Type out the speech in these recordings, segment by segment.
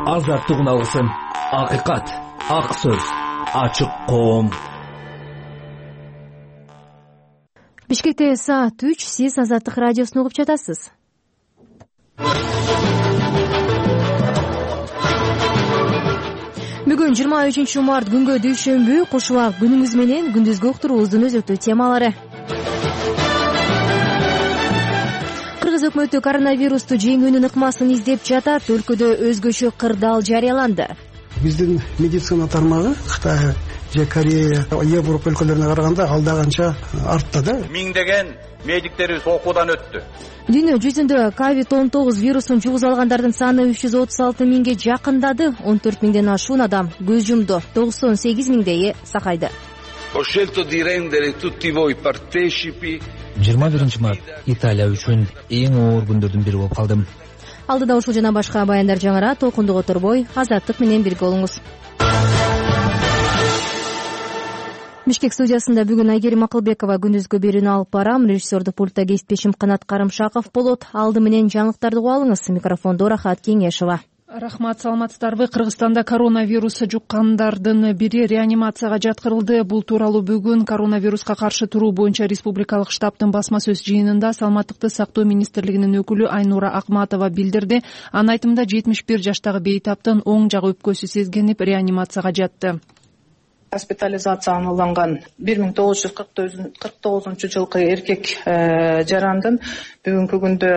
азаттыгын алсын. Акыйкат, ак сөз, ачык коом. Бишкекте саат 3, сиз Азаттык радиосун угуп жатасыз. Бүгүн 23 март күнгө дүйшөмбү, кош убак күнүңүз менен күндүзгү уктуруубуздун өзөктүү темалары. Кыргыз өкмөтү коронавирусту жеңүүнүн ыкмасын издеп жатат. Өлкөдө өзгөчө кырдаал жарыяланды. Биздин медицина тармагы Кытай же Корея, Европа өлкөлөрүнө караганда алдаганча артта да. Миңдеген медиктерибиз окуудан өттү. Дүйнө жүзүндө COVID-19 вирусун жугуз алгандардын саны 336 миңге жакындады. 14 миңден ашуун адам көз жумду. 98 миңдейи сакайды. Ho scelto di rendere tutti voi partecipi. 21 март Италия үчүн эң оор күндөрдүн бири болуп калдым. Алдыда ушул жана башка баяндар жаңыра толкундук оторбой Азаттык менен бирге болуңуз. Бишкек студиясында бүгүн Айгерим Акылбекова күндүзгү берүүнү алып барам. Режиссердик пультта кесиптешим Канат Карымшаков болот. Алды менен жаңылыктарды угуп алыңыз. Микрофондо Рахат Кеңешова. Рахмат, саламатсыздарбы? Кыргызстанда коронавирус жуккандардын бири реанимацияга жаткырылды. Бул тууралуу бүгүн коронавируска каршы туруу боюнча республикалык штабтын басма сөз жыйынында Саламаттыкты сактоо министрлигинин өкүлү Айнура Акматова билдирди. Анын айтымында 71 жаштагы бейтаптын оң жак өпкөсү сезгенип реанимацияга жатты. Госпитализацияланган 1949 жылкы эркек жарандын бүгүнкү күндө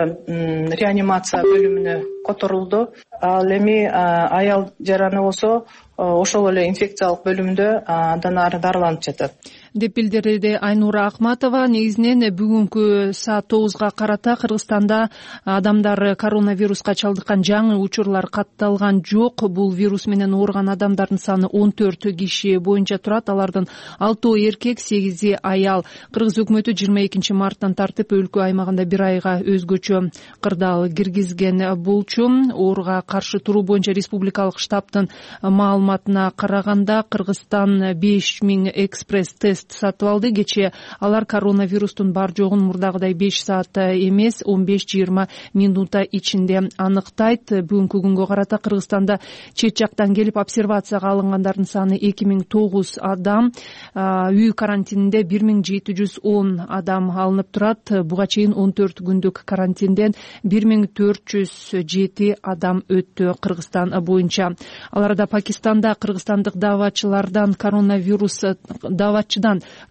реанимация бөлүмүнө которулду. Ал эми аял жараны болсо ошол эле инфекциялык бөлүмдө андан ары дарыланып жатат деп билдирди Айнура Акматова. Негизинен бүгүнкү саат 9га карата Кыргызстанда адамдар коронавируска чалдыккан жаңы учурлар катталган жок. Бул вирус менен ооруган адамдардын саны 14 киши боюнча турат. Алардын 6 эркек, 8 аял. Кыргыз өкмөтү 22 марттан тартып өлкө аймагында бир айга өзгөчө кырдаал киргизген болчу. Ооруга каршы туруу боюнча республикалык штабтын маалыматына караганда Кыргызстан 5000 экспресс-тест сатып алды. Кечээ алар коронавирустун бар жогун мурдагыдай 5 саатта эмес, 15-20 минута ичинде аныктайт. Бүгүнкү күнгө карата Кыргызстанда чет жактан келип обсервацияга алынгандардын саны 2009 адам, үй карантининде 1710 адам алынып турат. Буга чейин 14 күндүк карантинден 1407 адам өттү Кыргызстан боюнча. Аларда Пакистанда кыргызстандык дааватчыдан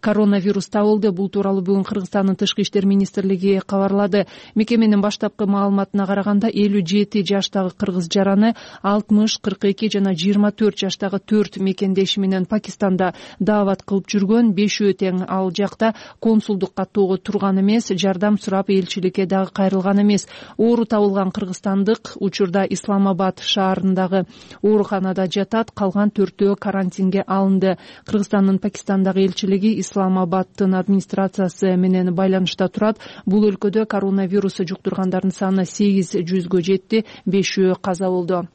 коронавирус табылды. Бул тууралуу бүгүн Кыргызстандын Тышкы иштер министрлиги кабарлады. Мекеменин баштапкы маалыматына караганда 57 жаштагы кыргыз жараны 60, 42 жана 24 жаштагы 4 мекендеши менен Пакистанда даават кылып жүргөн. 5 тең ал жакта консулдук каттоого турган эмес, жардам сурап элчиликке дагы кайрылган эмес. Оору табылган кыргызстандык учурда Исламабад шаарындагы ооруканада жатат. Калган 4-өө карантинге алынды. Кыргызстандын Пакистандагы элчилиги Исламабадтын администрациясы менен байланышта турат. Бул өлкөдө коронавирус жуктургандардын саны 800гө жетти, 5-өө каза болду.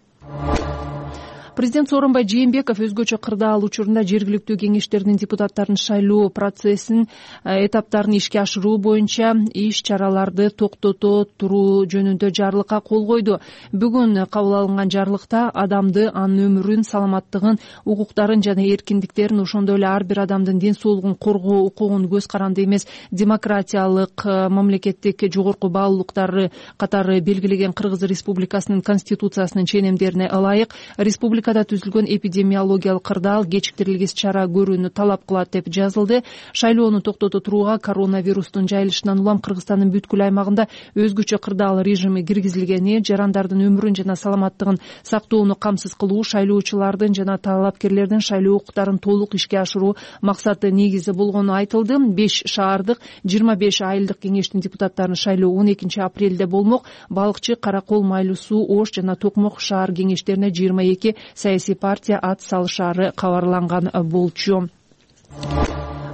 Президент Сооронбай Жээнбеков өзгөчө кырдаал учурунда жергиликтүү кеңештердин депутаттарын шайлоо процессин этаптарын ишке ашыруу боюнча иш-чараларды токтото туруу жөнүндө жарлыкка кол койду. Бүгүн кабыл алынган жарлыкта адамды, анын өмүрүн, саламаттыгын, укуктарын жана эркиндиктерин, ошондой эле ар бир адамдын ден соолугун коргоо укугун көз каранды эмес демократиялык мамлекеттик жогорку баалуулуктары катары белгилеген Кыргыз Республикасынын Конституциясынын ченемдерине ылайык республикада түзүлгөн эпидемиологиялык кырдаал кечиктирилгис чара көрүүнү талап кылат деп жазылды. Шайлоону токтото турууга коронавирустун жайылышынан улам Кыргызстандын бүткүл аймагында өзгөчө кырдаал режими киргизилгени, жарандардын өмүрүн жана саламаттыгын сактоону камсыз кылуу, шайлоочулардын жана талапкерлердин шайлоо укуктарын толук ишке ашыруу максаты негизи болгону айтылды. 5 шаардык 25 айылдык кеңештин депутаттарын шайлоо 12 апрелде болмок. Балыкчы, Каракол, Майлуу суу, Ош жана Токмок шаар кеңештерине 22 саясий партия ат салышаары кабарланган болчу.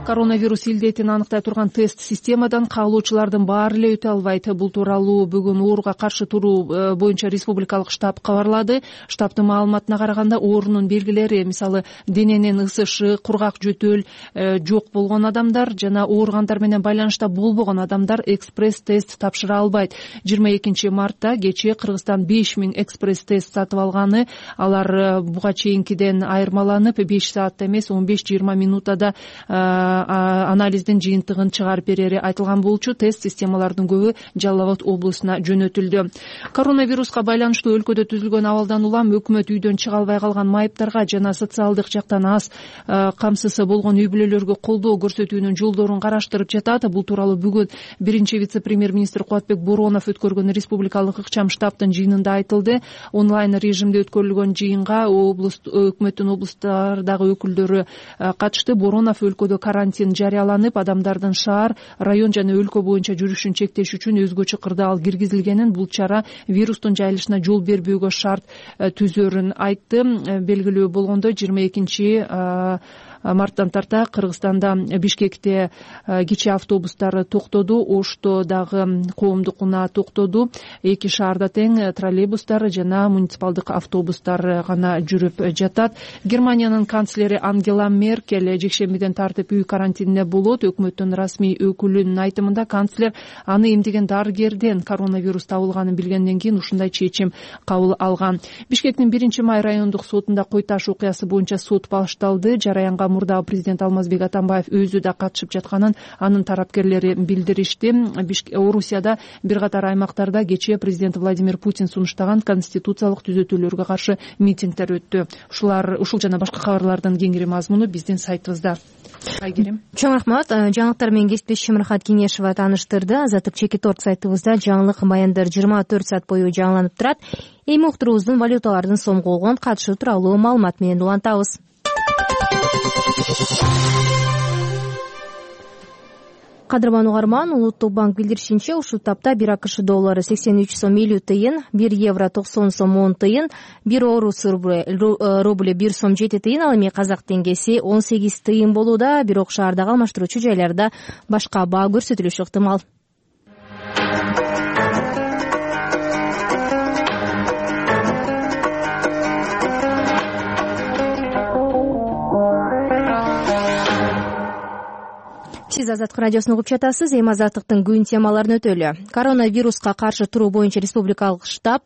Коронавирус илдетин аныктай турган тест системадан каалоочулардын баары эле өтө албайт. Бул тууралуу бүгүн ооруга каршы туруу боюнча республикалык штаб кабарлады. Штабтын маалыматына караганда оорунун белгилери, мисалы дененин ысышы, кургак жөтөл жок болгон адамдар жана ооругандар менен байланышта болбогон адамдар экспресс тест тапшыра албайт. 22 мартта кечээ Кыргызстан 5000 экспресс тест сатып алганы, алар буга чейинкиден айырмаланып 5 саатта эмес 15-20 минутада анализдин жыйынтыгын чыгарып берери айтылган болчу. Тест системалардын көбү Жалал Абад облусуна жөнөтүлдү. Коронавируска байланыштуу өлкөдө түзүлгөн абалдан улам өкмөт үйдөн чыга албай калган майыптарга жана социалдык жактан аз камсысы болгон үй бүлөлөргө колдоо көрсөтүүнүн жолдорун караштырып жатат. Бул тууралуу бүгүн биринчи вице-премьер-министр Кубатбек Боронов өткөргөн республикалык ыкчам штабтын жыйынында айтылды. Онлайн режимде өткөрүлгөн жыйынга өкмөттүн облустардагы өкүлдөрү катышты. Боронов өлкөдө карантин жарыяланып, адамдардын шаар, район жана өлкө боюнча жүрүшүн чектеш үчүн өзгөчө кырдаал киргизилгенин, бул чара вирустун жайылышына жол бербөөгө шарт түзөрүн айтты. Белгилүү болгондой 22 марттан тарта Кыргызстанда Бишкекте кичи автобустар токтоду, Ошто дагы коомдук унаа токтоду. Эки шаарда тең троллейбустар жана муниципалдык автобустар гана жүрүп жатат. Германиянын канцлери Ангела Меркель жекшембиден тартып үй карантинине болот. Өкмөттүн расмий өкүлүнүн айтымында канцлер аны эмдеген дарыгерден коронавирус табылганын билгенден кийин ушундай чечим кабыл алган. Бишкектин 1-май райондук сотунда кой таш окуясы боюнча сот башталды. Жараянга мурдагы президент Алмазбек Атамбаев өзү да катышып жатканын анын тарапкерлери билдиришти. Орусияда бир катар аймактарда кечээ президент Владимир Путин сунуштаган конституциялык түзөтүүлөргө каршы митингдер өттү. Ушул жана башка кабарлардын кеңири мазмуну биздин сайтыбызда. Айгерим. Чоң рахмат. Жаңылыктар менен кесиптешим Рахат Кеңешова тааныштырды. Азаттык Чекит.org сайтыбызда жаңылык маяндар 24 саат бою жаңыланып турат. Эми уктуруубуздун валюталардын сомго болгон катышы тууралуу маалымат менен улантабыз. Кадырман угарман, Улуттук банк билдиришинче, ушул тапта 1 АКШ доллары 83 сом 50 тыйын, 1 евро 90 сом 10 тыйын, 1 орус рубль 1 сом 7 тыйын, ал эми казак теңгеси 18 тыйын болууда. Бирок шаардагы алмаштыруучу жайларда башка баа көрсөтүлүшү ыктымал. Сиз Азаттык радиосун угуп жатасыз. Эми Азаттыктын күн темаларын өтөлү. Коронавируска каршы туруу боюнча республикалык штаб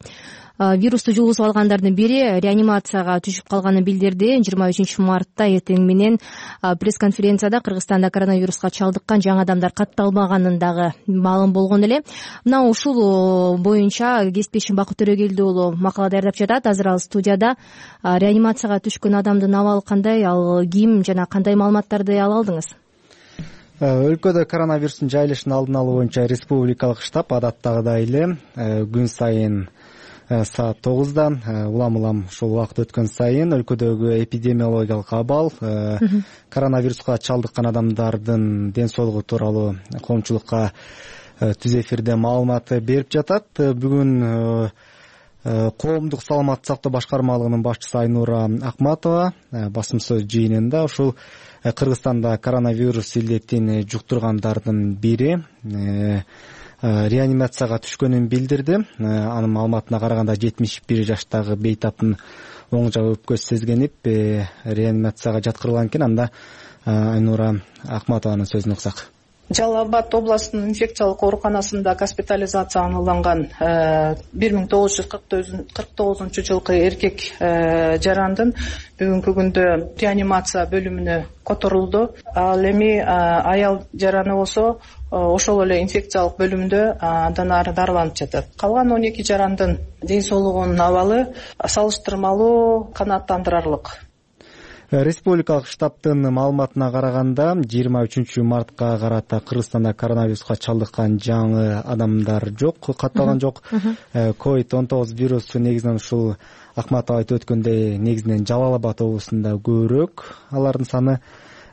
вирусту жугузуп алгандардын бири реанимацияга түшүп калганын билдирди. 23 мартта эртең менен пресс-конференцияда Кыргызстанда коронавируска чалдыккан жаңы адамдар катталбаганын дагы маалым болгон эле. Мына ушул боюнча кесиптешим Бакыт Төрөгелди уулу макала даярдап жатат. Азыр ал студияда. Реанимацияга түшкөн адамдын абалы кандай, ал ким жана кандай маалыматтарды ала алдыңыз? Өлкөдө коронавирустун жайылышын алдын алуу боюнча республикалык штаб адаттагыдай эле күн сайын саат 9-да улам ушул убакыт өткөн сайын өлкөдөгү эпидемиологиялык абал, коронавируска чалдыккан адамдардын ден соолугу тууралуу коомчулукка түз эфирде маалымат берип жатат. Бүгүн коомдук саламаттык сактоо башкармалыгынын башчысы Айнура Акматова басым сөз жыйынында ушул Кыргызстанда коронавирус илдетин жуктургандардын бири реанимацияга түшкөнүн билдирди. Анын маалыматына караганда 71 жаштагы бейтаптын оң жак өпкөсү сезгенип реанимацияга жаткырылган экен. Анда Айнура Акматованын сөзүн уксак. Жалал Абад областынын инфекциялык ооруканасында госпитализацияланган 1949 жылкы эркек жарандын бүгүнкү күндө реанимация бөлүмүнө которулду. Ал эми аял жараны болсо ошол эле инфекциялык бөлүмдө андан ары дарыланып жатат. Калган 12 жарандын ден соолугунун абалы салыштырмалуу канааттандырарлык. Республикалык штабтын маалыматына караганда 23 мартка карата Кыргызстанда коронавируска чалдыккан жаңы адамдар жок, катталган жок. COVID-19 вирусу негизинен ушул Акматов айтып өткөндөй негизинен Жалал Абад облусунда көбүрөөк. Алардын саны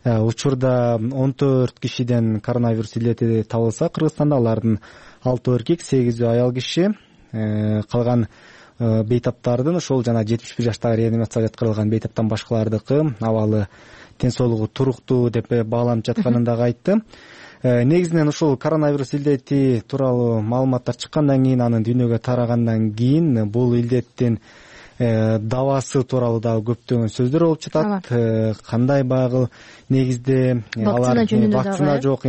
учурда 14 кишиден коронавирус илдети табылса Кыргызстанда, алардын 6 эркек, 8 аял киши. Калган бейтаптардын ошол жана 71 жаштагы реанимацияга жаткырылган бейтаптан башкалардыкы абалы ден туруктуу деп бааланып жатканын дагы айтты. Негизинен ушул коронавирус илдети тууралуу маалыматтар чыккандан кийин, анын дүйнөгө тарагандан кийин бул илдеттин давасы тууралуу дагы көптөгөн сөздөр болуп жатат. Кандай багыл негизде вакцина жок,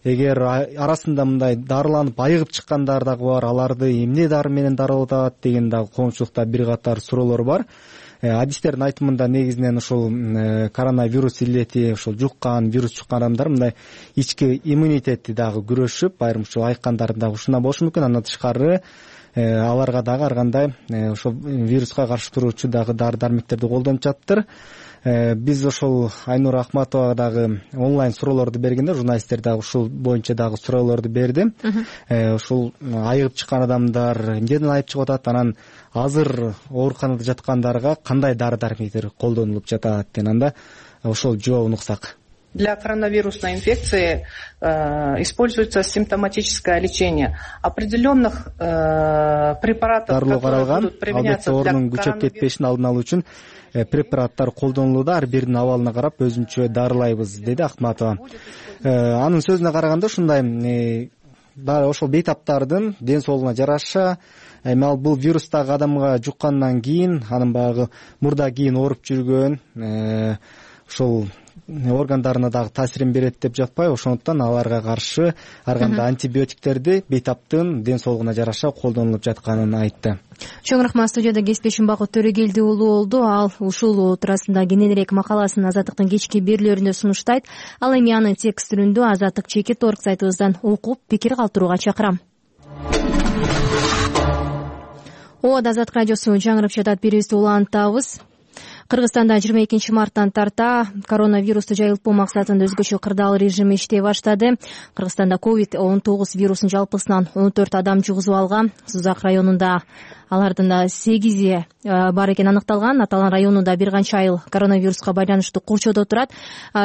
эгер арасында мындай дарыланып айыгып чыккандар дагы бар, аларды эмне дары менен дарылап атат деген дагы коомчулукта бир катар суроолор бар. Адистердин айтымында негизинен ушул коронавирус илдети ушул вирус жуккан адамдар мындай ички иммунитети дагы күрөшүп, айрым ушул айыккандар дагы ушундан болушу мүмкүн. Андан тышкары аларга дагы ар кандай ошол вируска каршы туруучу дагы дары дармектерди колдонуп жатыптыр. Биз ошол Айнура Акматова дагы онлайн суроолорду бергенде журналисттер дагы ушул боюнча дагы суроолорду берди. Ушул айыгып чыккан адамдар эмнеден айыгып чыгып атат, анан азыр ооруканада жаткандарга кандай дары дармектер колдонулуп жатат дегенде ошол жообун уксак. Для коронавирусной инфекции используется симптоматическое лечение определенных препаратов, которые будут применяться для коронавируса. Күчөп кетпешин алдын алуу үчүн препараттар колдонулууда, ар биринин абалына карап өзүнчө дарылайбыз, деди Акматова. Анын сөзүнө караганда ушундай ошол бейтаптардын ден соолугуна жараша ал бул вирустагы адамга жуккандан кийин анын баягы мурда кийин ооруп жүргөн ошол органдарына дагы таасирин берет деп жатпайбы, ошондуктан аларга каршы ар кандай антибиотиктерди бейтаптын ден соолугуна жараша колдонулуп жатканын айтты. Чоң рахмат. Студияда кесиптешим Бакыт Төрөгелди уулу болду. Ал ушул туурасында кененирээк макаласын Азаттыктын кечки берүүлөрүндө сунуштайт. Ал эми анын текст түрүндө azattik.org сайтыбыздан окуп пикир калтырууга чакырам. Азаттык радиосу жаңырып жатат, бирибизди улантабыз. Кыргызстанда 22 марттан тарта коронавирусту жайылтпоо максатында өзгөчө кырдаал режим иштей баштады. Кыргызстанда COVID-19 вирусун жалпысынан 14 адам жугузуп алган. Сузак районунда алардын 8 бар экени аныкталган. Аталган районунда бир канча айыл коронавируска байланыштуу курчоодо турат.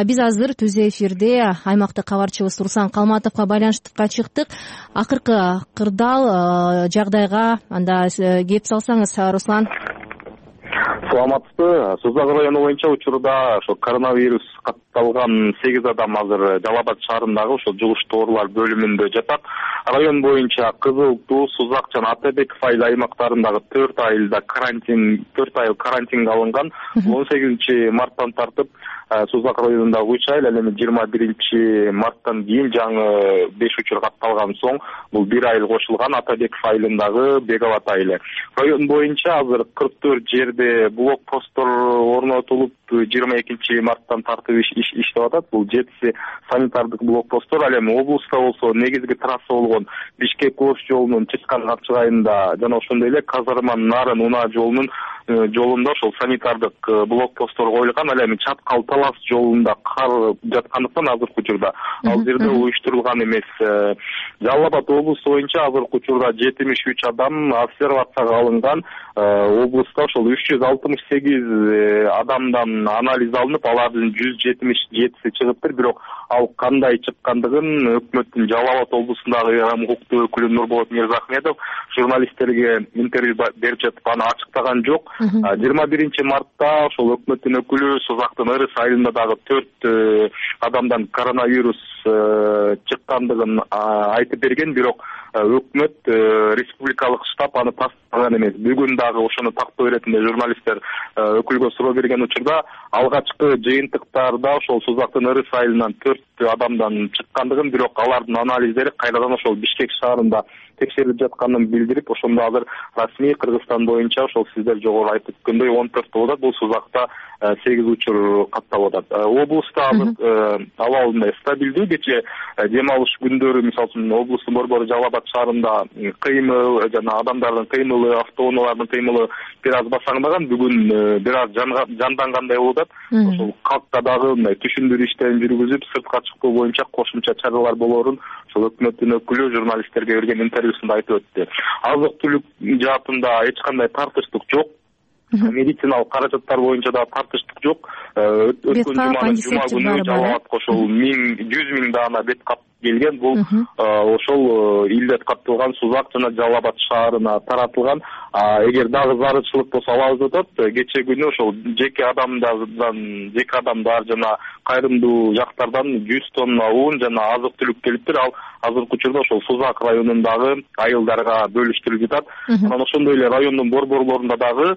Биз азыр түз эфирде аймактык кабарчыбыз Руслан Калматовго байланыштыкка чыктык. Акыркы кырдаал жагдайга анда кеп салсаңыз, Руслан. Саламатсызбы. Сузак району боюнча учурда ошо коронавирус катталган 8 адам азыр Жалал Абад шаарындагы ошо жугуштуу оорулар бөлүмүндө жатат. Район боюнча Кызыл Туу, Сузак жана Атабеков айыл аймактарындагы 4 айыл карантинге алынган. 18 марттан тартып Сузак районундагы 3 айыл, ал эми 21 марттан кийин жаңы 5 учур катталган соң бул 1 айыл кошулган Атабеков айылындагы Беговат айылы. Район боюнча азыр 44 жерде блокпосттор орнотулуп 22 марттан тартып иштеп атат. Бул 7 санитардык блокпосттор. Ал эми облуста болсо негизги трасса болгон Бишкек-Ош жолунун Чыскан-Капчыгайында жана ошондой эле Казарман-Нарын-Унаа жолунда ошол санитардык блокпосттор коюлган. Ал эми Чаткал-Талас жолунда кар жаткандыктан азыркы учурда ал жерде уюштурулган эмес. Жалал Абад облусу боюнча азыркы учурда 73 адам обсервацияга алынган. Облуста ошол 368 адамдан анализ алынып, алардын 177си чыгыптыр. Бирок ал кандай чыккандыгын өкмөттүн Жалал Абад облусундагы укуктуу өкүлү Нурболот Мирзахметов журналисттерге интервью берип жатып аны ачыктаган жок. 21 мартта ошол өкмөттүн өкүлү Сузактын Ырыс айылында дагы 4 адамдан коронавирус чыккандыгын айтып берген. Бирок өкмөт республикалык штаб аны тастаган эмес. Бүгүн дагы ошону тактоо иретинде журналисттер өкүлгө суроо берген учурда алгачкы жыйынтыктарда ошол Сузактын Ырыс айылынан 4 адамдан чыккандыгын, бирок алардын анализдери кайрадан ошол Бишкек шаарында текшерилип жатканын билдирип, ошондо азыр расмий Кыргызстан боюнча ошол сиздер жогору айтып өткөндөй 14 болуп атат. Бул Сузакта 8 учур катталып атат. Облуста азыр абал мындай стабилдүү. Кече дем алыш күндөрү мисалы үчүн облустун борбору Жалал Абад шаарында кыймыл жана адамдардын кыймылы, автоунаалардын кыймылы бир аз басаңдаган. Бүгүн бир аз жандангандай болуп атат. Ошол калкка дагы мындай түшүндүрүү иштерин жүргүзүп, сыртка чыктоо боюнча кошумча чаралар болоорун ошол өкмөттүн өкүлү журналисттерге берген интервьюсунда айтып өттү. Азык-түлүк жаатында эч кандай тартыштык жок. Медициналык каражаттар боюнча да тартыштык жок. Өткөн жума күнү Жалал Абадка ошол 100 миң даана бет кап келген. Бул ошол илдет катталган Сузак жана Жалал Абад шаарына таратылган. Эгер дагы зарылчылык болсо алабыз деп атат. Кечээ күнү ошол жеке адамдар жана кайрымдуу жактардан 100 тонна un жана азык-түлүк келиптир. Ал азыркы учурда ошол Сузак районундагы айылдарга бөлүштүрүлүп жатат. Анан ошондой эле райондун борборлорунда дагы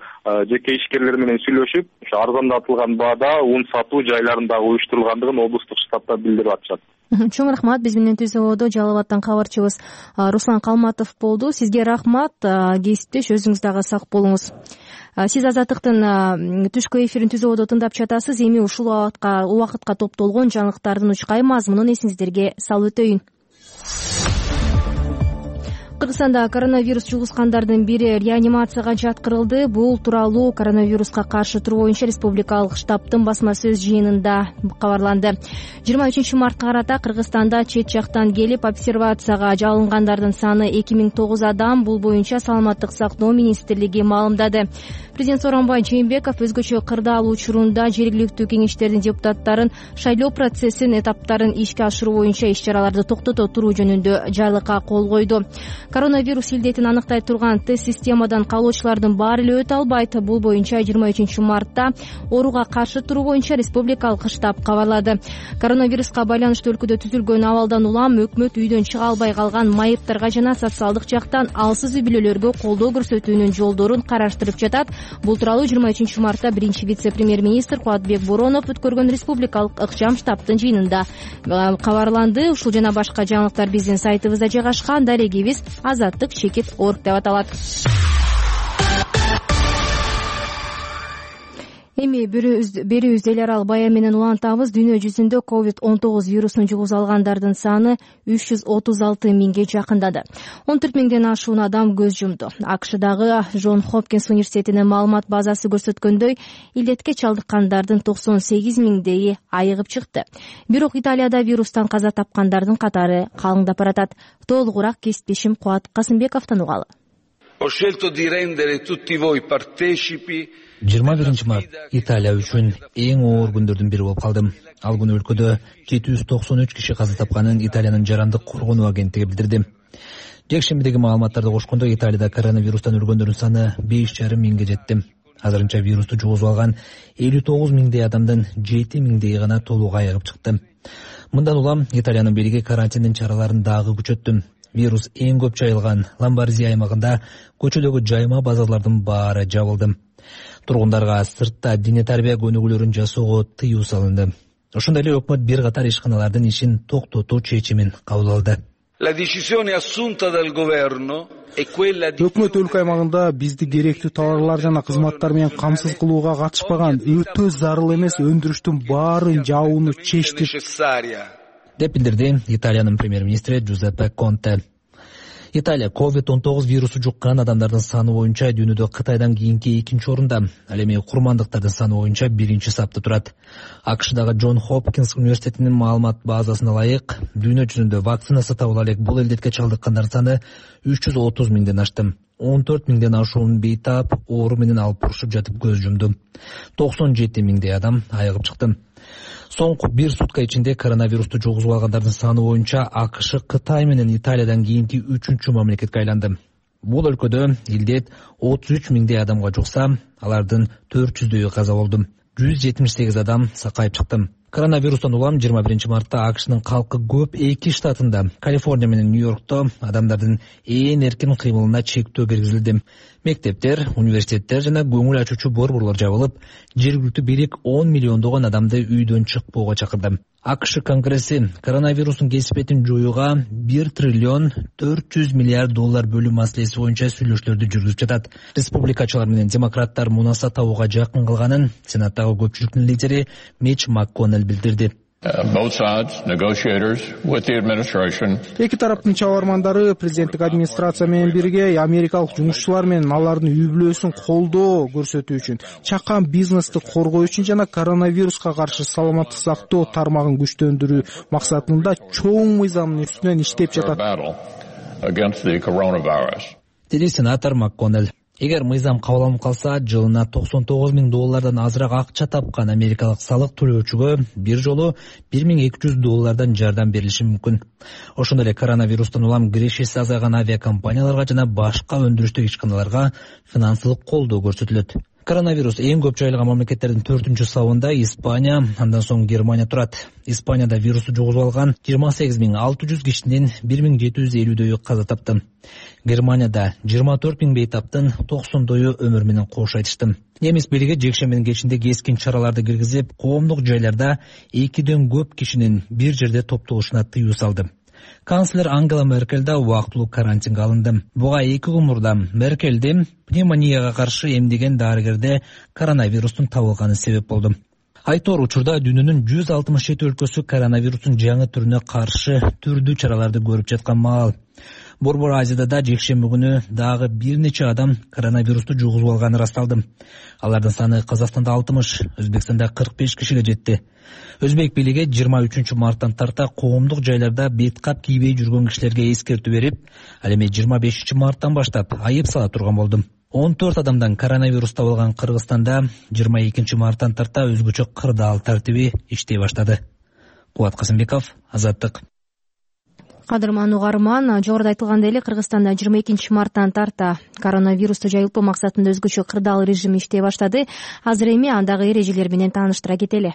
жеке ишкерлер менен сүйлөшүп, ошо арзандатылган баада un сатуу жайларын дагы уюштурулгандыгын облустук штабта билдирип атышат. Чоң рахмат. Биз менен түзүүдө Жалал Абадтан кабарчыбыз Руслан Калматов болду. Сизге рахмат. Кесиптеш, өзүңүз дагы сак болуңуз. Сиз Азаттыктын түшкү эфирин түзүүдө тыңдап жатасыз. Эми ушул убакытка топтолгон жаңылыктардын учкай мазмунун эсиңиздерге салып өтөйүн. Кыргызстанда коронавирус жугузгандардын бири реанимацияга жаткырылды. Бул тууралуу коронавируска каршы туруу боюнча республикалык штабтын басма сөз жыйынында кабарланды. 23 мартка карата Кыргызстанда чет жактан келип обсервацияга алынгандардын саны 2009 адам. Бул боюнча Саламаттык сактоо министрлиги маалымдады. Президент Сооронбай Жээнбеков өзгөчө кырдаал учурунда жергиликтүү кеңештердин депутаттарын шайлоо процессин этаптарын ишке ашыруу боюнча иш-чараларды токтото туруу жөнүндө жарлыкка кол койду. Коронавирус илдетин аныктай турган тест системадан калоочулардын баары эле өтө албайт. Бул боюнча 23 мартта ооруга каршы туруу боюнча республикалык штаб кабарлады. Коронавируска байланыштуу өлкөдө түзүлгөн абалдан улам өкмөт үйдөн чыга албай калган майыптарга жана социалдык жактан алсыз үй бүлөлөргө колдоо көрсөтүүнүн жолдорун караштырып жатат. Бул тууралуу 23 мартта биринчи вице-премьер-министр Кубатбек Боронов өткөргөн республикалык ыкчам штабтын жыйынында кабарланды. Ушул жана башка жаңылыктар биздин сайтыбызда жайгашкан. Дарегибиз azattik.org деп аталат. Эми берүүбүздү эл аралык бая менен улантабыз. Дүйнө жүзүндө COVID-19 вирусун жугуза алгандардын саны 336 миңге жакындады. 14 миңден ашуун адам көз жумду. АКШдагы Джон Хопкинс университетинин маалымат базасы көрсөткөндөй, илдетке чалдыккандардын 98 миңдеги айыгып чыкты. Бирок Италияда вирустан каза тапкандардын катары калыңдап баратат. Толугураак кесиптешим Кубат Касымбековдон угалы. Ho scelto di rendere tutti voi partecipi 21 март Италия үчүн эң оор күндөрдүн бири болуп калды. Ал күнү өлкөдө 793 киши каза тапканын Италиянын жарандык коргонуу агенттиги билдирди. Жекшембидеги маалыматтарды кошкондо Италияда коронавирустан өлгөндөрдүн саны 5,5 миңге жетти. Азырынча вирусту жугузуп алган 59 миңдей адамдын 7 миңдеги гана толук айыгып чыкты. Мындан улам Италиянын бийлиги карантиндин чараларын дагы күчөттү. Вирус эң көп жайылган Ломбардия аймагында көчөдөгү жайма базарлардын баары жабылды. Тургундарга сыртта дине тарбия көнүгүүлөрүн жасоого тыюу салынды. Ошондой эле өкмөт бир катар ишканалардын ишин токтотуу чечимин кабыл алды. Өкмөт өлкө аймагында бизди керектүү товарлар жана кызматтар менен камсыз кылууга катышпаган, өтө зарыл эмес өндүрүштүн баарын жабууну чечти деп билдирди Италиянын премьер-министри Джузеппе Конте. Италия COVID-19 вирусу жуккан адамдардын саны боюнча дүйнөдө Кытайдан кийинки 2-орунда, ал эми курмандыктардын саны боюнча 1-чи сапта турат. АКШдагы Джон Хопкинс университетинин маалымат базасына ылайык, дүйнө жүзүндө вакцина сата ала элек бул илдетке чалдыккандардын саны 330 миңден ашты. 14 миңден ашуун бейтап оору менен алып урушуп жатып көз жумду. 97 миңдей адам айыгып чыкты. Соңку бир сутка ичинде коронавирусту жугузуп алгандардын саны боюнча АКШ Кытай менен Италиядан кийинки 3-чү мамлекетке айланды. Бул өлкөдө илдет 33 миңдей адамга жукса, алардын 400дөйү каза болду. 178 адам сакайып чыкты. Коронавирустан улам 21 мартта АКШнын калкы көп 2 штатында, Калифорния менен Нью-Йоркто адамдардын ээн эркин кыймылына чектөө киргизилди. Мектептер, университеттер жана көңүл ачуучу борборлор жабылып, жергиликтүү бийлик 10 миллиондогон адамды үйдөн чыкпоого чакырды. АКШ Конгресси коронавирустун кесипетин жоюуга 1 триллион 400 миллиард доллар бөлүү маселеси боюнча сүйлөшүүлөрдү жүргүзүп жатат. Республикачылар менен демократтар мунаса табууга жакын кылганын Сенаттагы көпчүлүктүн лидери Мич МакКоннелл билдирди. Эки тараптын чабармандары президенттик администрация менен бирге америкалык жумушчулар менен алардын үй бүлөсүн колдоо көрсөтүү үчүн, чакан бизнести коргоо үчүн жана коронавируска каршы саламаттык сактоо тармагын күчтөндүрүү максатында чоң мыйзамдын үстүнөн иштеп жатат, деди сенатор МакКоннелл. Эгер мыйзам кабыл алынып калса, жылына $99,000 азыраак акча тапкан америкалык салык төлөөчүгө бир жолу $1,200 жардам берилиши мүмкүн. Ошондой эле коронавирустан улам кирешеси азайган авиакомпанияларга жана башка өндүрүштүк ишканаларга финансылык колдоо көрсөтүлөт. Коронавирус эң көп жайылган мамлекеттердин 4-сабында Испания, андан соң Германия турат. Испанияда вирусту жугузуп алган 28,600 кишинин 1,750 каза тапты. Германияда 24,000 бейтаптын 90 өмүр менен кош айтышты. Немис бийлиги жекшембинин кечинде кескин чараларды киргизип, коомдук жайларда 2ден көп кишинин бир жерде топтолушуна тыюу салды. Канцлер Ангела Меркель да убактылуу карантинге алынды. Буга 2 күн мурда Меркелди пневмонияга каршы эмдеген дарыгерде коронавирустун табылганы себеп болду. Айтор учурда дүйнөнүн 167 өлкөсү коронавирустун жаңы түрүнө каршы түрдүү чараларды көрүп жаткан маал. Борбор Азияда да жекшемби күнү дагы бир нече адам коронавирусту жугузуп алганы расталды. Алардын саны Казакстанда 60, Өзбекстанда 45 кишиге жетти. Өзбек бийлиги 23 марттан тарта коомдук жайларда беткап кийбей жүргөн кишилерге эскертүү берип, ал эми 25 марттан баштап айып сала турган болду. 14 адамдан коронавирус табылган Кыргызстанда 22 марттан тарта өзгөчө кырдаал тартиби иштей баштады. Кубат Касымбеков, Азаттык. Кадырман угарман, жогоруда айтылгандай эле Кыргызстанда 22 марттан тарта коронавирусту жайылтпоо максатында өзгөчө кырдаал режим иштей баштады. Азыр эми андагы эрежелер менен тааныштыра кетели.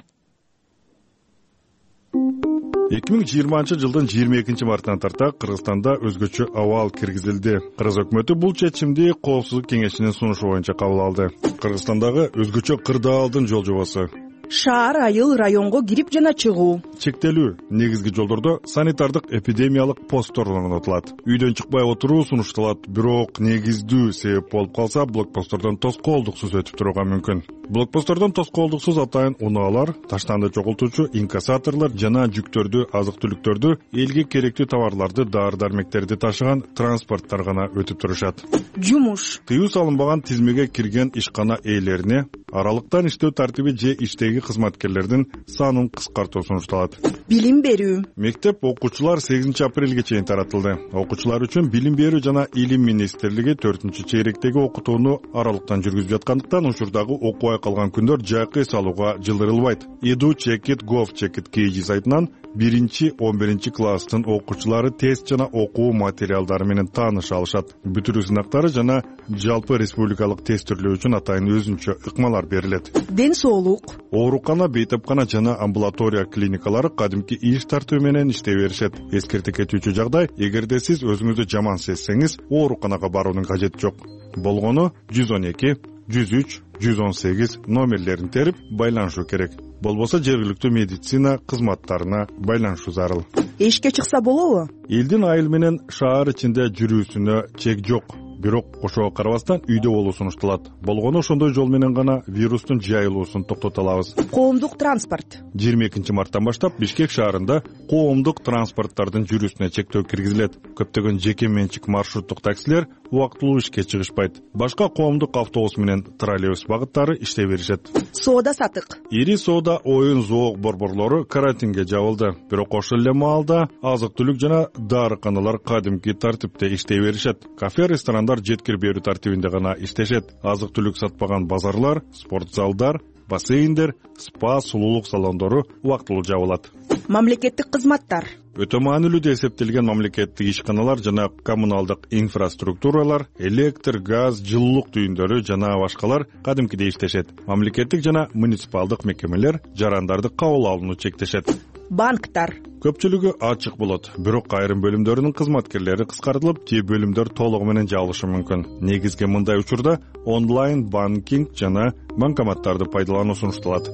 2020 жылдын 22 марттан тарта Кыргызстанда өзгөчө абал киргизилди. Кыргыз өкмөтү бул чечимди Коопсуздук кеңешинин сунушу боюнча кабыл алды. Кыргызстандагы өзгөчө кырдаалдын жол жобосу: шаар, айыл, районго кирип жана чыгуу. Чектелүү негизги жолдордо санитардык эпидемиялык посттор орнотулат. Үйдөн чыкпай отуруу сунушталат, бирок негиздүү себеп болуп калса, блокпосттордон тоскоолдуксуз өтүп турууга мүмкүн. Блокпосттордон тоскоолдуксуз атайын унаалар, таштанды чогултуучу инкассаторлор жана жүктөрдү, азык-түлүктөрдү, элге керектүү товарларды, дары-дармектерди ташыган транспорттор гана өтүп турушат. Жумуш. Тыюу салынбаган тизмеге кирген ишкана ээлерине аралыктан иштөө тартиби же иштеги кызматкерлердин санын кыскартуу сунушталат. Билим берүү. Мектеп окуучулар 8 апрелге чейин таратылды. Окуучулар үчүн билим берүү жана илим министрлиги 4-чейректеги окутууну аралыктан жүргүзүп жаткандыктан учурдагы окубай калган күндөр жайкы салууга жылдырылбайт. edu.gov.kg сайтынан 1-11 класстын окуучулары тест жана окуу материалдары менен тааныша алышат. Бүтүрүү сынактары жана жалпы республикалык тест түрлөө үчүн атайын өзүнчө ыкмалар берилет. Ден соолук. Оорукана, бейтапкана жана амбулатория клиникалары кадимки иш тартуу менен иштей беришет. Эскерте кетүүчү жагдай: эгерде сиз өзүңүздү жаман сезсеңиз, ооруканага баруунун кажети жок. Болгону 112, 103, 118 номерлерин терип байланышуу керек. Болбосо жергиликтүү медицина кызматтарына байланышуу зарыл. Эшикке чыкса болобу? Элдин айыл менен шаар ичинде жүрүүсүнө чек жок. Бирок ошого карабастан үйдө болуу сунушталат. Болгону ошондой жол менен гана вирустун жайылуусун токтото алабыз. Коомдук транспорт. 22 марттан баштап Бишкек шаарында коомдук транспорттардын жүрүүсүнө чектөө киргизилет. Көптөгөн жеке менчик маршруттук таксилер убактылуу ишке чыгышпайт. Башка коомдук автобус менен троллейбус багыттары иштей беришет. Соода сатык. Ири соода, оюн, зоок борборлору карантинге жабылды. Бирок ошол эле маалда азык-түлүк жана дарыканалар кадимки тартипте иштей беришет. Кафе, ресторандар жеткир берүү тартибинде гана иштешет. Азык-түлүк сатпаган базарлар, спорт залдар, бассейндер, спа, сулуулук салондору убактылуу жабылат. Мамлекеттик кызматтар. Өтө маанилүү деп эсептелген мамлекеттик ишканалар жана коммуналдык инфраструктуралар, электр, газ, жылуулук түйүндөрү жана башкалар кадимкидей иштешет. Мамлекеттик жана муниципалдык мекемелер жарандарды кабыл алууну чектешет. Банктар. Көпчүлүгү ачык болот, бирок айрым бөлүмдөрүнүн кызматкерлери кыскартылып, же бөлүмдөр толугу менен жабылышы мүмкүн. Негизги мындай учурда онлайн банкинг жана банкоматтарды пайдалануу сунушталат.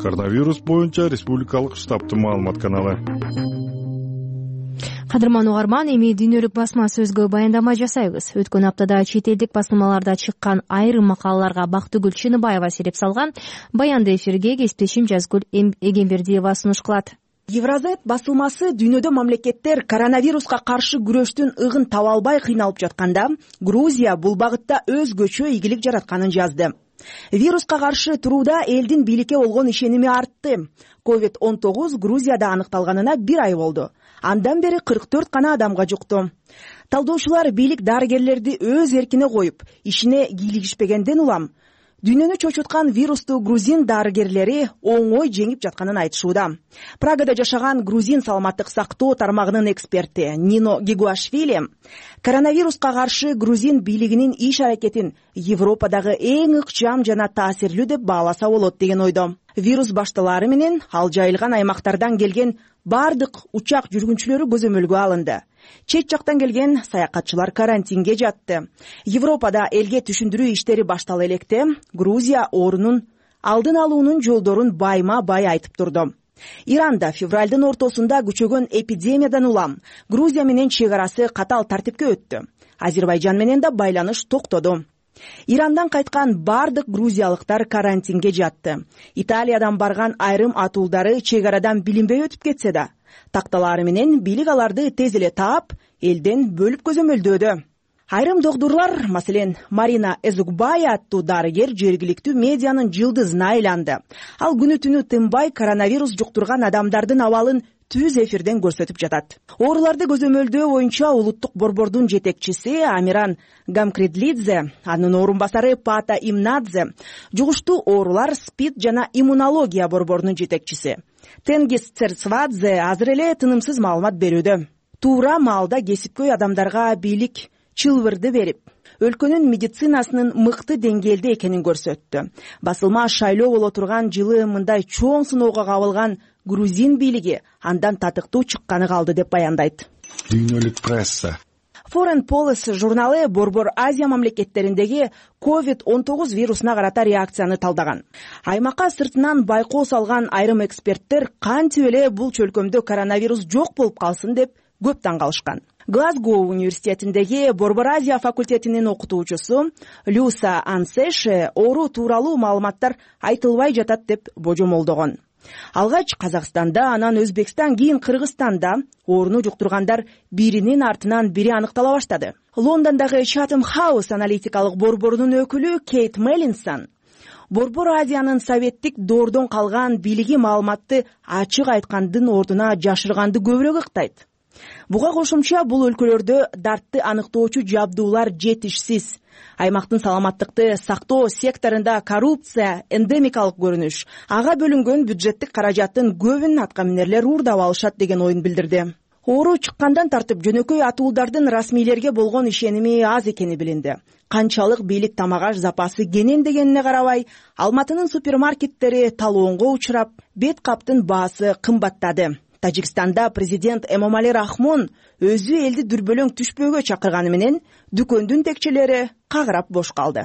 Коронавирус боюнча республикалык штабтын маалымат каналы. Кадырман угарман, эми дүйнөлүк басма сөзгө баяндама жасайбыз. Өткөн аптада чет элдик басмаларда чыккан айрым макалаларга Бактыгүл Чыныбаева сереп салган. Баянды эфирге кесиптешим Жазгүл Эгембердиева сунуш кылат. Евразет басылмасы дүйнөдө мамлекеттер коронавируска каршы күрөштүн ыгын таба албай кыйналып жатканда, Грузия бул багытта өзгөчө ийгилик жаратканын жазды. Вируска каршы турууда элдин бийликке болгон ишеними артты. COVID-19 Грузияда аныкталганына 1 ай болду. Андан бери 44 гана адамга жукту. Талдоочулар бийлик дарыгерлерди өз эркине коюп, ишине кийлигишпегенден улам дүйнөнү чочуткан вирусту грузин дарыгерлери оңой жеңип жатканын айтышууда. Прагада жашаган грузин саламаттык сактоо тармагынын эксперти Нино Гигуашвили коронавируска каршы грузин бийлигинин иш аракетин Европадагы эң ыкчам жана таасирлүү деп бааласа болот деген ойдо. Вирус башталары менен ал жайылган аймактардан келген бардык учак жүргүнчүлөрү көзөмөлгө алынды. Чет жактан келген саякатчылар карантинге жатты. Европада элге түшүндүрүү иштери баштала электе Грузия оорунун алдын алуунун жолдорун байма-бай айтып турду. Иранда февралдын ортосунда күчөгөн эпидемиядан улам Грузия менен чек арасы катаал тартипке өттү. Азербайжан менен да байланыш токтоду. Ирандан кайткан бардык грузиялыктар карантинге жатты. Италиядан барган айрым атуулдары чек арадан билинбей өтүп кетсе да, такталары менен бийлик аларды тез эле таап, элден бөлүп көзөмөлдөөдө. Айрым доктурлар, маселен, Марина Эзукбая аттуу дарыгер жергиликтүү медианын жылдызына айланды. Ал күнү түнү тынбай коронавирус жуктурган адамдардын абалын түз эфирден көрсөтүп жатат. Ооруларды көзөмөлдөө боюнча улуттук борбордун жетекчиси Амиран Гамкредлидзе, анын орун басары Пата Имнадзе, жугуштуу оорулар, СПИД жана иммунология борборунун жетекчиси Тенгиз Церцвадзе азыр эле тынымсыз маалымат берүүдө. Туура маалда кесипкөй адамдарга бийлик чылбырды берип, өлкөнүн медицинасынын мыкты деңгээлде экенин көрсөттү. Басылма шайлоо боло турган жылы мындай чоң сыноого кабылган грузин бийлиги андан татыктуу чыкканы калды деп баяндайт. Дүйнөлүк пресса. Foreign Policy журналы Борбор Азия мамлекеттериндеги COVID-19 вирусуна карата реакцияны талдаган. Аймакка сыртынан байкоо салган айрым эксперттер кантип эле бул чөлкөмдө коронавирус жок болуп калсын деп көп таң калышкан. Глазгоу университетиндеги Борбор Азия факультетинин окутуучусу Люса Ансеше оору тууралуу маалыматтар айтылбай жатат деп божомолдогон. Алгач Казакстанда, анан Өзбекстан, кийин Кыргызстанда ооруну жуктургандар биринин артынан бири аныктала баштады. Лондондогу Chatham House аналитикалык борборунун өкүлү Кейт Меллинсон Борбор Азиянын советтик доордон калган бийлиги маалыматты ачык айткандын ордуна жашырганды көбүрөөк ыктайт. Буга кошумча бул өлкөлөрдө дартты аныктоочу жабдуулар жетишсиз. Аймактын саламаттыкты сактоо секторунда коррупция эндемикалык көрүнүш, ага бөлүнгөн бюджеттик каражаттын көбүн аткаминерлер уурдап алышат деген оюн билдирди. Оору чыккандан тартып жөнөкөй атуулдардын расмийлерге болгон ишеними аз экени билинди. Канчалык бийлик тамак аш запасы кенен дегенине карабай, Алматынын супермаркеттери талоонго учурап, бет каптын баасы кымбаттады. Тажикстанда президент Эмомали Рахмон өзү элди дүрбөлөң түшпөөгө чакырганы менен дүкөндүн текчелери кагырап бош калды.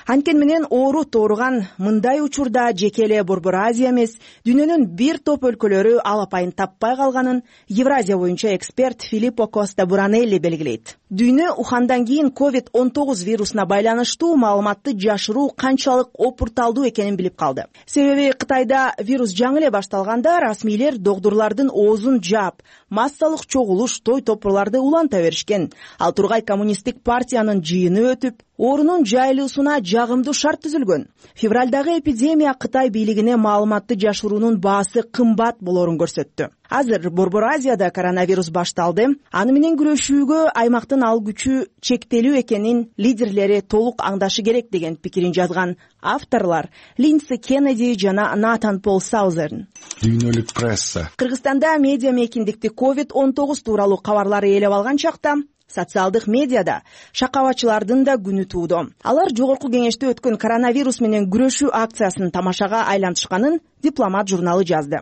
Анткени менен оору тооруган мындай учурда жеке эле Борбор Азия эмес, дүйнөнүн бир топ өлкөлөрү алапайын таппай калганын Евразия боюнча эксперт Филиппо Коста Буранелли белгилейт. Дүйнө Ухандан кийин COVID-19 вирусуна байланыштуу маалыматты жашыруу канчалык опурталдуу экенин билип калды. Себеби Кытайда вирус жаңы эле башталганда расмийлер доктурлардын оозун жаап, массалык чогулуш, той топурларды уланта беришкен. Ал тургай коммунисттик партиянын жыйыны өтүп, оорунун жайылуусуна жагымдуу шарт түзүлгөн. Февралдагы эпидемия Кытай бийлигине маалыматты жашыруунун баасы кымбат болорун көрсөттү. Азыр Борбор Азияда коронавирус башталды. Аны менен күрөшүүгө аймактын ал күчү чектелүү экенин лидерлери толук аңдашы керек деген пикирин жазган авторлар Линдси Кеннеди жана Натан Пол Саузерн. Дүйнөлүк пресса. Кыргызстанда медиа мейкиндикти COVID-19 тууралуу кабарлар ээлеп алган чакта социалдык медиада шакабачылардын да күнү туудо. Алар жогорку кеңеште өткөн коронавирус менен күрөшүү акциясынын тамашага айлантышканын Дипломат журналы жазды.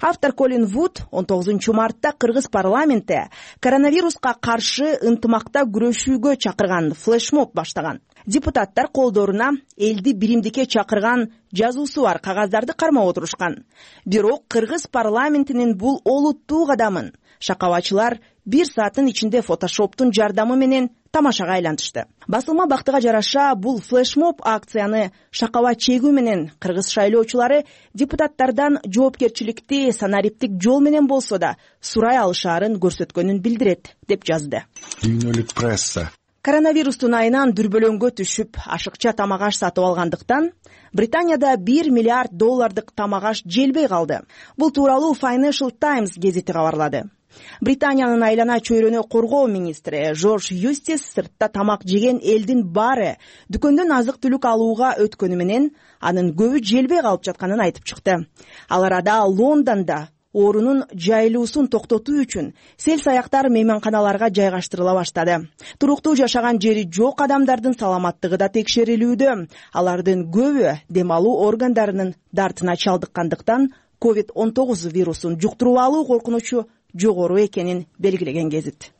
Автор Колин Вуд 19 мартта Кыргыз парламенти коронавируска каршы ынтымакта күрөшүүгө чакырган флешмоб баштаган. Депутаттар колдоруна элди биримдикке чакырган жазуусу бар кагаздарды кармап отурушкан. Бирок Кыргыз парламентинин бул олуттуу кадамын шакабачылар 1 сааттын ичинде фотошоптун жардамы менен тамашага айлантышты. Басылма бактыга жараша бул флешмоб акцияны шакаба чегүү менен кыргыз шайлоочулары депутаттардан жоопкерчиликти санариптик жол менен болсо да сурай алышаарын көрсөткөнүн билдирет деп жазды. Дүйнөлүк пресса. Коронавирустун айынан дүрбөлөңгө түшүп, ашыкча тамак аш сатып алгандыктан Британияда $1 миллиард доллардык тамак аш желбей калды. Бул тууралуу Financial Times гезити кабарлады. Британиянын айлана чөйрөнү коргоо министри Жорж Юстис сыртта тамак жеген элдин баары дүкөндөн азык-түлүк алууга өткөнү менен анын көбү желбей калып жатканын айтып чыкты. Ал арада Лондондо оорунун жайылуусун токтотуу үчүн сел-саяктар мейманканаларга жайгаштырыла баштады. Туруктуу жашаган жери жок адамдардын саламаттыгы да текшерилүүдө. Алардын көбү дем алуу органдарынын дартына чалдыккандыктан COVID-19 вирусун жуктуруп алуу коркунучу жогору экенин белгилеген гезит.